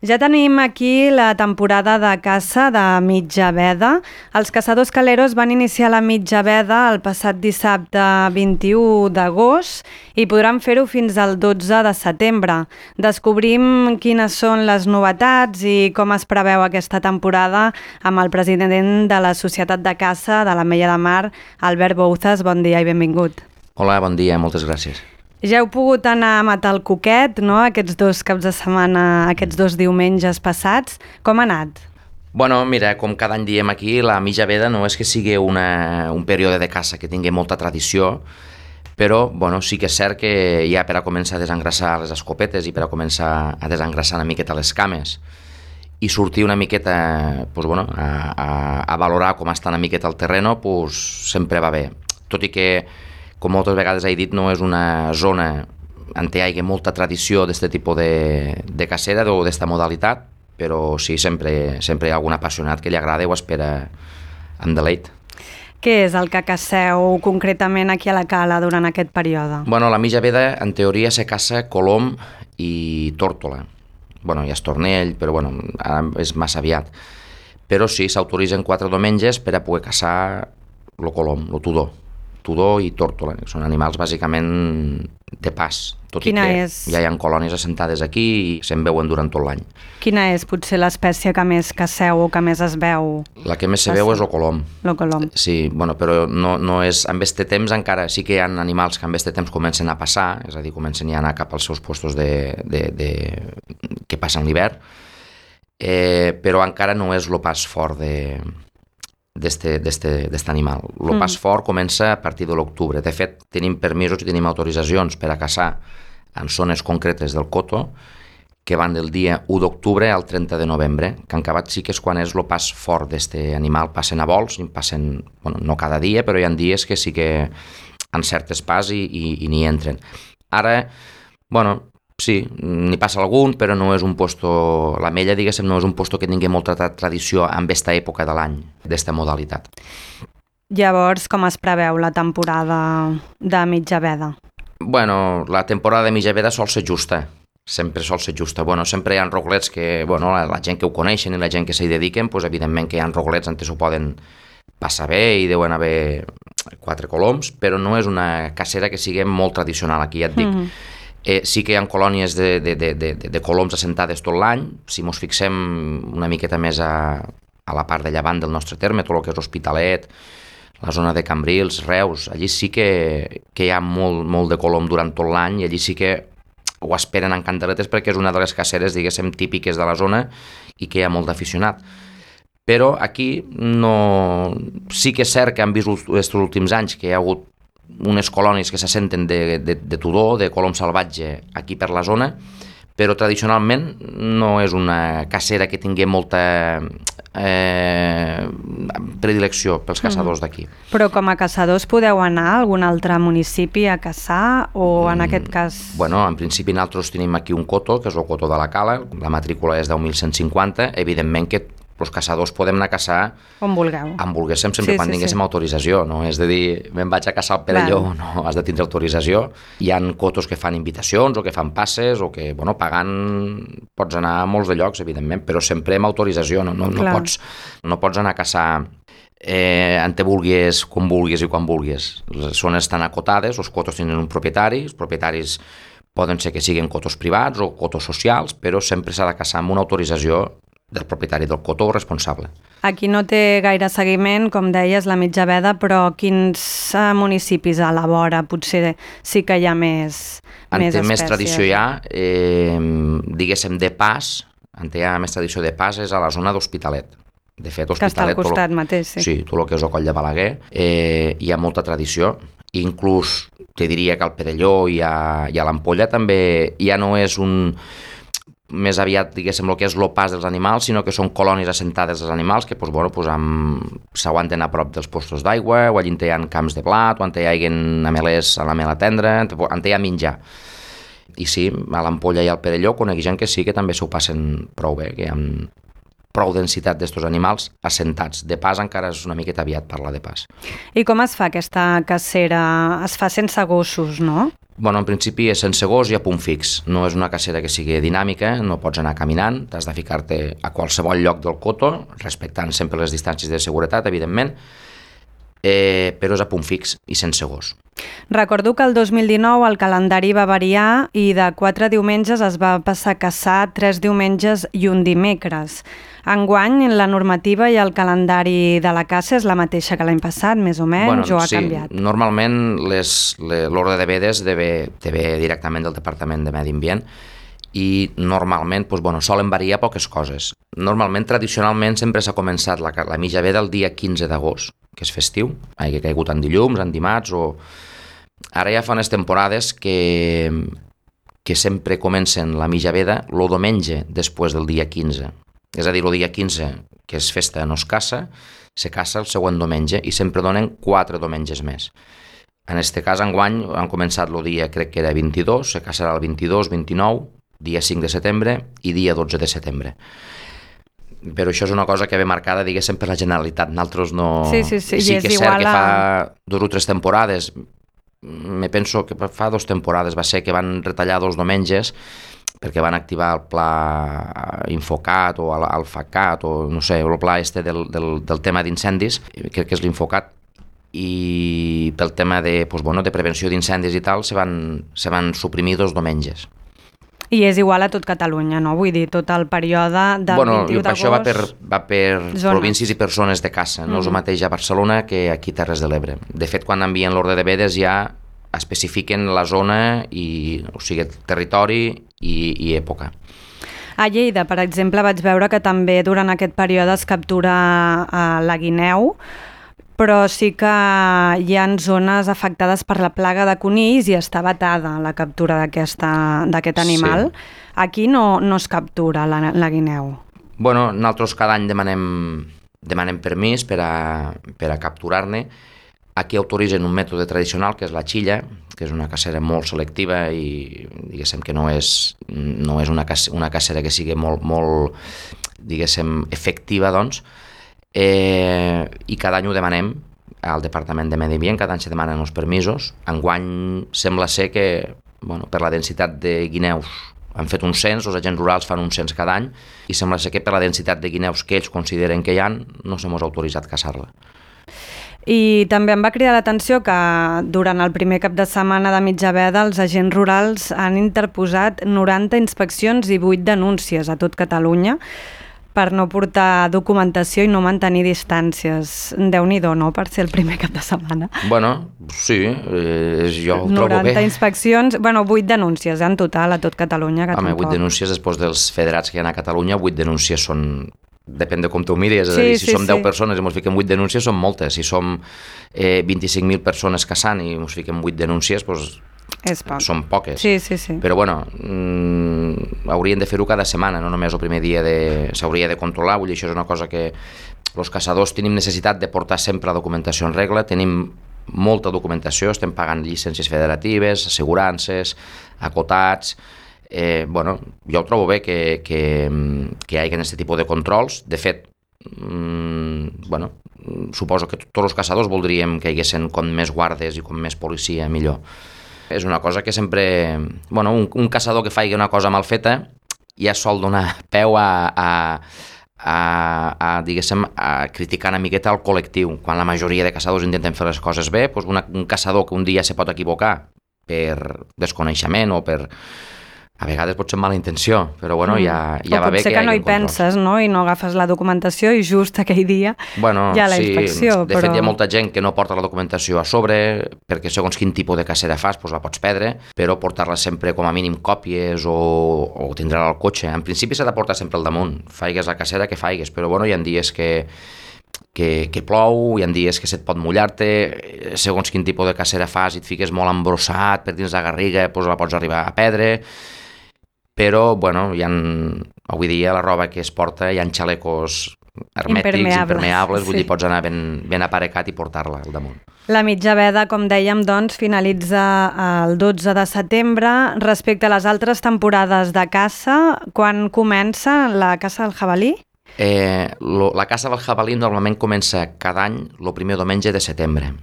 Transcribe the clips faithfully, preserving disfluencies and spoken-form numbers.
Ja tenim aquí la temporada de caça de mitja veda. Els caçadors caleros van iniciar la mitja veda el passat dissabte vint-i-u d'agost i podran fer-ho fins al dotze de setembre. Descobrim quines són les novetats i com es preveu aquesta temporada amb el president de la Societat de Caça de l'Ametlla de Mar, Albert Bouzas. Bon dia i benvingut. Hola, bon dia, moltes gràcies. Ja heu pogut anar a matar el cuquet, no?, aquests dos caps de setmana, aquests dos diumenges passats. Com ha anat? Bueno, mira, com cada any diem aquí, la mitja veda no és que sigui una, un període de caça que tingui molta tradició, però bueno, sí que és cert que ja per a començar a desengrasar les escopetes i per a començar a desengrasar una miqueta les cames i sortir una miqueta pues, bueno, a, a, a valorar com està una miqueta el terreno, pues, sempre va bé. Tot i que, com moltes vegades he dit, no és una zona on hi hagi molta tradició d'aquest tipus de, de cacera o d'esta modalitat, però sí, sempre, sempre hi ha algun apassionat que li agrada i ho espera amb deleit. Què és el que caceu concretament aquí a la cala durant aquest període? Bueno, la mitja veda, en teoria, se caça colom i tórtola. Bueno, hi ha estornell, però bueno, ara és massa aviat. Però sí, s'autoritzen quatre diumenges per a poder caçar el colom, el tudó. Tudó i tórtola, que són animals bàsicament de pas, tot Quina i que és? ja hi ha colònies assentades aquí i se'n veuen durant tot l'any. Quina és potser l'espècie que més caceu o que més es veu? La que més se veu és el colom. El colom. Sí, bueno, però no, no és... En este temps encara sí que hi ha animals que en este temps comencen a passar, és a dir, comencen ja a anar cap als seus postos de, de, de... que passen l'hivern, eh, però encara no és el pas fort de... d'aquest animal. El mm. pas fort comença a partir de l'octubre. De fet, tenim permisos i tenim autoritzacions per a caçar en zones concretes del coto que van del dia u d'octubre al trenta de novembre, que en acabat sí que és quan és el pas fort d'aquest animal. Passen a vols, passen, bueno, no cada dia, però hi ha dies que sí que en certes pas i, i, i n'hi entren. Ara, bueno, sí, n'hi passa algun, però no és un posto... L'Ametlla, diguéssim, no és un posto que tingui molta tradició en aquesta època de l'any, d'esta modalitat. Llavors, com es preveu la temporada de mitja veda? Bueno, la temporada de mitja veda sol ser justa, sempre sol ser justa. Bueno, sempre hi ha roglets que, bueno, la, la gent que ho coneixen i la gent que s'hi dediquen, pues, evidentment que hi ha roglets on s'ho poden passar bé i deuen haver quatre coloms, però no és una cacera que sigui molt tradicional aquí, ja et dic. Mm-hmm. Eh, sí que hi ha colònies de, de, de, de, de coloms assentades tot l'any. Si ens fixem una miqueta més a, a la part de llevant del nostre terme, tot el que és Hospitalet, la zona de Cambrils, Reus, allí sí que, que hi ha molt, molt de colom durant tot l'any i allí sí que ho esperen en cantaletes perquè és una de les caceres, diguéssim, típiques de la zona i que hi ha molt d'aficionat. Però aquí no... sí que és cert que han vist els últims anys que hi ha hagut unes colònies que s'assenten de, de, de tudó, de colom salvatge aquí per la zona, però tradicionalment no és una cacera que tingui molta eh, predilecció pels caçadors d'aquí. Però com a caçadors podeu anar a algun altre municipi a caçar o en mm, aquest cas... Bueno, en principi nosaltres tenim aquí un coto, que és el coto de la Cala, la matrícula és deu mil cent cinquanta, evidentment que els caçadors podem anar a caçar on vulgueu. On volguéssim, sempre sí, quan sí, tinguéssim sí. autorització, no? És de dir, me'n vaig a caçar al Perelló, Clar. No, has de tindre autorització. Hi ha cotos que fan invitacions o que fan passes o que, bueno, pagant pots anar a molts de llocs, evidentment, però sempre amb autorització, no, no, no, pots, no pots anar a caçar eh, on te vulguis, com vulguis i quan vulguis. Les zones estan acotades, els cotos tenen un propietari, els propietaris poden ser que siguin cotos privats o cotos socials, però sempre s'ha de caçar amb una autorització del propietari del cotó responsable. Aquí no té gaire seguiment, com deies, la mitja veda, però quins municipis a la vora potser sí que hi ha més, més espècies? Més tradició hi ha, eh, diguéssim, de pas, on hi ha més tradició de pas és a la zona d'Hospitalet. De fet, Hospitalet... Que està al costat lo, mateix, sí. Sí, tot el que és el Coll de Balaguer, eh, hi ha molta tradició. Inclús, te diria que al Perelló i a, i a l'Ampolla també ja no és un... més aviat, diguéssim, el que és el pas dels animals, sinó que són colònies assentades dels animals que pues, bueno, pues, amb... s'aguanten a prop dels postos d'aigua, o allà hi ha camps de blat, o on hi ha amelers a la mela tendra, on hi ha menjar. I sí, a l'Ampolla i al Perelló conec gent que sí que també s'ho passen prou bé, que hi ha prou densitat d'estos animals assentats. De pas encara és una miqueta aviat parlar de pas. I com es fa aquesta cacera? Es fa sense gossos, no? Bueno, en principi és sense gos i a punt fix. No és una cacera que sigui dinàmica, no pots anar caminant, t'has de ficar-te a qualsevol lloc del coto, respectant sempre les distàncies de seguretat, evidentment, eh, però és a punt fix i sense gos. Recordo que el dos mil dinou el calendari va variar i de quatre diumenges es va passar a caçar tres diumenges i un dimecres. Enguany, la normativa i el calendari de la caça és la mateixa que l'any passat, més o menys, bueno, o ha sí, canviat? Normalment les, les, l'ordre de vedes ve, ve directament del Departament de Medi Ambient i normalment doncs, bueno, solen variar poques coses. Normalment, tradicionalment, sempre s'ha començat la, la mitja veda el dia quinze d'agost, que és festiu, que ha caigut en dilluns, en dimarts, o... Ara ja fa unes temporades que, que sempre comencen la mitja veda el diumenge després del dia quinze. És a dir, el dia quinze, que és festa, no es caça, se caça el següent diumenge i sempre donen quatre diumenges més. En aquest cas, enguany, han començat el dia, crec que era vint-i-dos, se caçarà el vint-i-dos, vint-i-nou, dia cinc de setembre i dia dotze de setembre. Però això és una cosa que ve marcada, diguéssim, per la Generalitat. Nosaltres no... Sí, sí, sí. Sí I que és és cert igual que a... fa dues o tres temporades, me penso que fa dos temporades va ser que van retallar dos diumenges perquè van activar el pla Infocat o el FACAT o no sé, el pla este del, del, del tema d'incendis, crec que és l'Infocat, i pel tema de, pues, bueno, de prevenció d'incendis i tal se van, se van suprimir dos diumenges. I és igual a tot Catalunya, no? Vull dir, tot el període del bueno, vint-i-u d'agost... Això va per, va per zones. Províncies i per zones de caça, no mm-hmm. és el mateix a Barcelona que aquí a Terres de l'Ebre. De fet, quan envien l'ordre de vedes ja especifiquen la zona, i, o sigui, territori i, i època. A Lleida, per exemple, vaig veure que també durant aquest període es captura uh, la guineu, però sí que hi ha zones afectades per la plaga de conills i està vetada la captura d'aquest animal. Sí. Aquí no, no es captura la, la guineu. Bueno, nosaltres cada any demanem, demanem permís per a, per a capturar-ne. Aquí autoritzen un mètode tradicional, que és la xilla, que és una cacera molt selectiva i diguéssim que no és, no és una, cacera, una cacera que sigui molt, molt diguéssim, efectiva, doncs, Eh, i cada any ho demanem al Departament de Medi Ambient, cada any se demanen els permisos. Enguany sembla ser que, bueno, per la densitat de guineus han fet un cens, els agents rurals fan un cens cada any, i sembla ser que per la densitat de guineus que ells consideren que hi ha, no s'hemos autoritzat a caçar-la. I també em va cridar l'atenció que durant el primer cap de setmana de mitja veda els agents rurals han interposat noranta inspeccions i vuit denúncies a tot Catalunya per no portar documentació i no mantenir distàncies. Déu-n'hi-do, no?, per ser el primer cap de setmana. Bueno, sí, eh, jo ho trobo bé. noranta inspeccions, bueno, vuit denúncies en total a tot Catalunya. Que Home, tampoc. vuit denúncies després dels federats que hi ha a Catalunya, vuit denúncies són... Depèn de com tu miris, és sí, a dir, si sí, som deu sí. persones i ens fiquem vuit denúncies, són moltes. Si som eh, vint-i-cinc mil persones caçant i ens fiquem vuit denúncies, doncs És poc. són poques. Sí, sí, sí. Però bueno, mmm, haurien de fer-ho cada setmana, no només el primer dia de... s'hauria de controlar, vull dir, això és una cosa que els caçadors tenim necessitat de portar sempre la documentació en regla, tenim molta documentació, estem pagant llicències federatives, assegurances, acotats... Eh, bueno, jo ho trobo bé que, que, que hi hagi aquest tipus de controls. De fet, mmm, bueno, suposo que tots els caçadors voldríem que hi haguessin com més guardes i com més policia, millor. És una cosa que sempre... Bueno, un, un caçador que faci una cosa mal feta ja sol donar peu a, a, a, a, diguéssim, a criticar una miqueta el col·lectiu. Quan la majoria de caçadors intenten fer les coses bé, doncs una, un caçador que un dia se pot equivocar per desconeixement o per... A vegades pot ser mala intenció, però bueno, ja, ja va bé que hi hagi un control. O potser que no hi penses, no?, i no agafes la documentació i just aquell dia bueno, hi ha la sí, inspecció. De però... fet, hi ha molta gent que no porta la documentació a sobre, perquè segons quin tipus de cacera fas, doncs la pots perdre, però portar-la sempre com a mínim còpies o, o tindre-la al cotxe. En principi s'ha de portar sempre al damunt, faigues la cacera que faigues, però bueno, hi ha dies que... Que, que plou, hi ha dies que se't pot mullar-te, segons quin tipus de cacera fas i et fiques molt embrossat per dins la garriga, doncs la pots arribar a perdre. Però, bueno, hi ha, avui dia la roba que es porta, hi ha xalecos hermètics, impermeables, impermeables vull sí. dir, pots anar ben, ben aparecat i portar-la al damunt. La mitja veda, com dèiem, doncs, finalitza el dotze de setembre. Respecte a les altres temporades de caça, quan comença la caça del jabalí? Eh, lo, la caça del jabalí normalment comença cada any el primer diumenge de setembre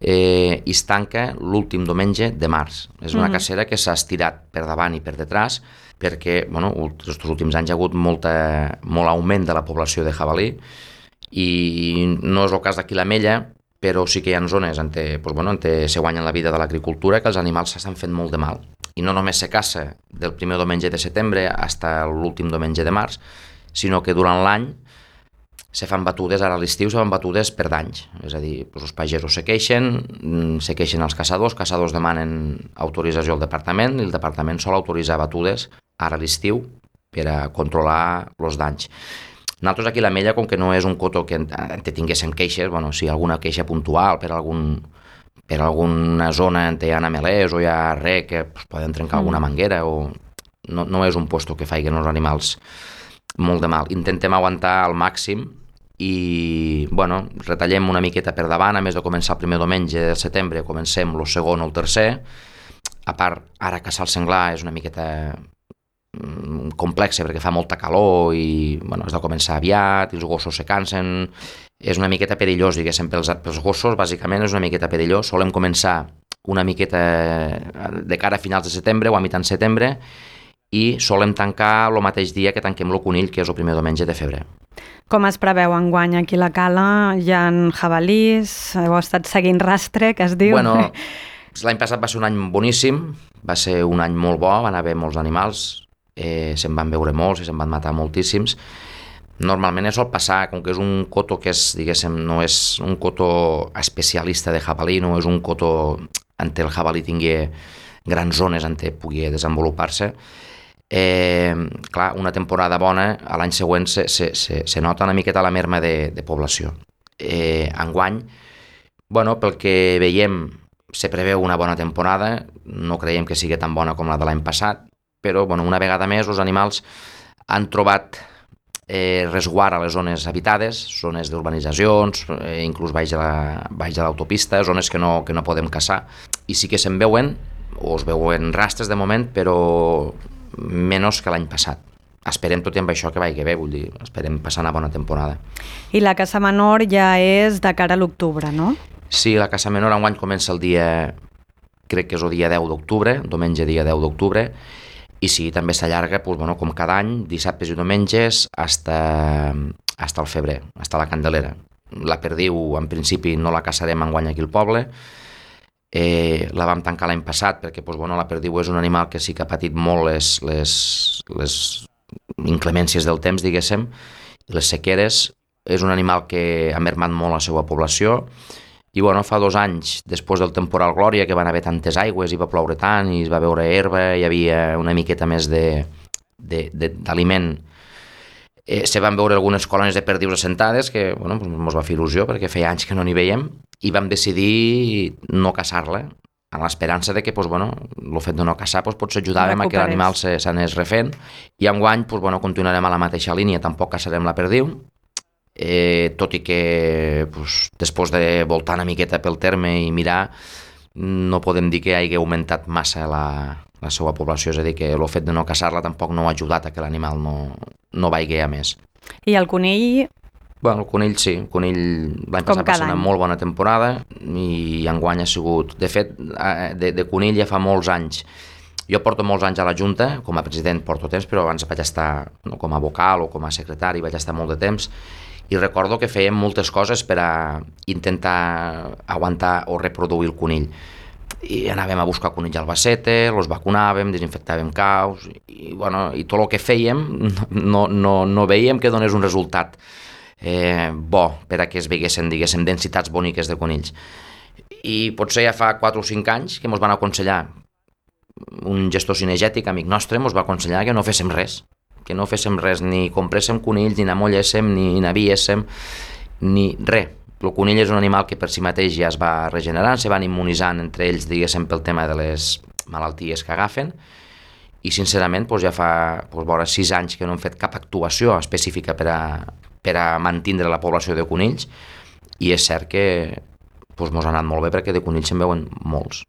eh, i es tanca l'últim diumenge de març. És una Mhm. cacera que s'ha estirat per davant i per detrás perquè bueno, els últims anys hi ha hagut molta, molt augment de la població de jabalí i no és el cas d'aquí l'Ametlla, però sí que hi ha zones on, te, pues, bueno, on te, se guanyen la vida de l'agricultura que els animals s'estan fent molt de mal. I no només se caça del primer diumenge de setembre fins l'últim diumenge de març, sinó que durant l'any se fan batudes, ara a l'estiu se fan batudes per danys, és a dir, doncs els pagesos se queixen, se queixen els caçadors, els caçadors demanen autorització al departament i el departament sol autoritzar batudes ara a l'estiu per a controlar els danys. Nosaltres aquí a l'Ametlla, com que no és un coto que en te tinguéssim queixes, bueno, si alguna queixa puntual per algun per alguna zona on hi ha amelers o hi ha res que pues, poden trencar alguna manguera o no, no és un puesto que faiguen els animals molt de mal. Intentem aguantar al màxim i, bueno, retallem una miqueta per davant, a més de començar el primer diumenge de setembre, comencem el segon o el tercer. A part, ara caçar el senglar és una miqueta complexa perquè fa molta calor i bueno, has de començar aviat i els gossos se cansen, és una miqueta perillós, diguéssim, pels, pels gossos bàsicament és una miqueta perillós, solem començar una miqueta de cara a finals de setembre o a mitjan setembre i solem tancar el mateix dia que tanquem el conill, que és el primer diumenge de febrer. Com es preveu enguany aquí a la Cala? Hi ha jabalís? Heu estat seguint rastre, que es diu? Bueno, l'any passat va ser un any boníssim, va ser un any molt bo, van haver molts animals, eh, se'n van veure molts i se'n van matar moltíssims. Normalment sol passar, com que és un coto que és, diguéssim, no és un coto especialista de jabalí, no és un coto on el jabalí tingui grans zones on pugui desenvolupar-se. Eh, clar, una temporada bona, a l'any següent se, se, se, se nota una miqueta la merma de, de població. Eh, enguany, bueno, pel que veiem, se preveu una bona temporada, no creiem que sigui tan bona com la de l'any passat, però bueno, una vegada més els animals han trobat eh, resguard a les zones habitades, zones d'urbanitzacions, eh, inclús baix de la, baix de l'autopista, zones que no, que no podem caçar, i sí que se'n veuen, o es veuen rastres de moment, però menys que l'any passat. Esperem tot i amb això que vagi bé, vull dir, esperem passar una bona temporada. I la caça menor ja és de cara a l'octubre, no? Sí, la caça menor enguany comença el dia, crec que és el dia deu d'octubre, diumenge dia deu d'octubre, i sí, també s'allarga, doncs, bueno, com cada any, dissabtes i diumenges, hasta, hasta el febrer, hasta la Candelera. La perdiu, en principi, no la caçarem enguany aquí al poble, eh, la vam tancar l'any passat perquè doncs, bueno, la perdiu és un animal que sí que ha patit molt les, les, les inclemències del temps, diguéssim, les sequeres. És un animal que ha mermat molt la seva població i bueno, fa dos anys, després del temporal Glòria, que van haver tantes aigües i va ploure tant i es va veure herba, hi havia una miqueta més d'aliment, eh, se van veure algunes colònies de perdius assentades que bueno, doncs ens va fer il·lusió perquè feia anys que no n'hi veiem i vam decidir no caçar-la amb l'esperança de que doncs, bueno, el fet de no caçar doncs, potser ajudàvem a que l'animal s'anés refent i enguany doncs, bueno, continuarem a la mateixa línia, tampoc caçarem la perdiu. Eh, tot i que pues, després de voltar una miqueta pel terme i mirar, no podem dir que hagi augmentat massa la, la seva població, és a dir, que el fet de no caçar-la tampoc no ha ajudat a que l'animal no, no vagi a més. I el conill? Bueno, el conill sí, el conill l'any passat va ser una molt bona temporada i enguany ha sigut, de fet, de, de conill ja fa molts anys. Jo porto molts anys a la Junta, com a president porto temps, però abans vaig estar no, com a vocal o com a secretari, vaig estar molt de temps, i recordo que fèiem moltes coses per a intentar aguantar o reproduir el conill. I anàvem a buscar conill al Albacete, els vacunàvem, desinfectàvem caus, i, bueno, i tot el que fèiem no, no, no veiem que donés un resultat eh, bo per a que es veguessin, diguéssim, densitats boniques de conills. I potser ja fa quatre o cinc anys que ens van aconsellar, un gestor cinegètic, amic nostre, ens va aconsellar que no féssim res, que no féssim res, ni compréssim conills, ni n'amolléssim, ni n'aviéssim, ni res. El conill és un animal que per si mateix ja es va regenerant, se van immunitzant entre ells, diguéssim, pel tema de les malalties que agafen, i sincerament doncs ja fa doncs, vora sis anys que no hem fet cap actuació específica per a, per a mantindre la població de conills, i és cert que doncs, mos ha anat molt bé perquè de conills se'n veuen molts.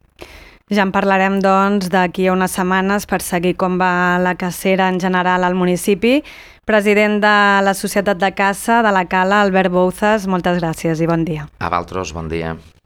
Ja en parlarem, doncs, d'aquí a unes setmanes per seguir com va la cacera en general al municipi. President de la Societat de Caça de la Cala, Albert Bouzas, moltes gràcies i bon dia. A vosaltres, bon dia.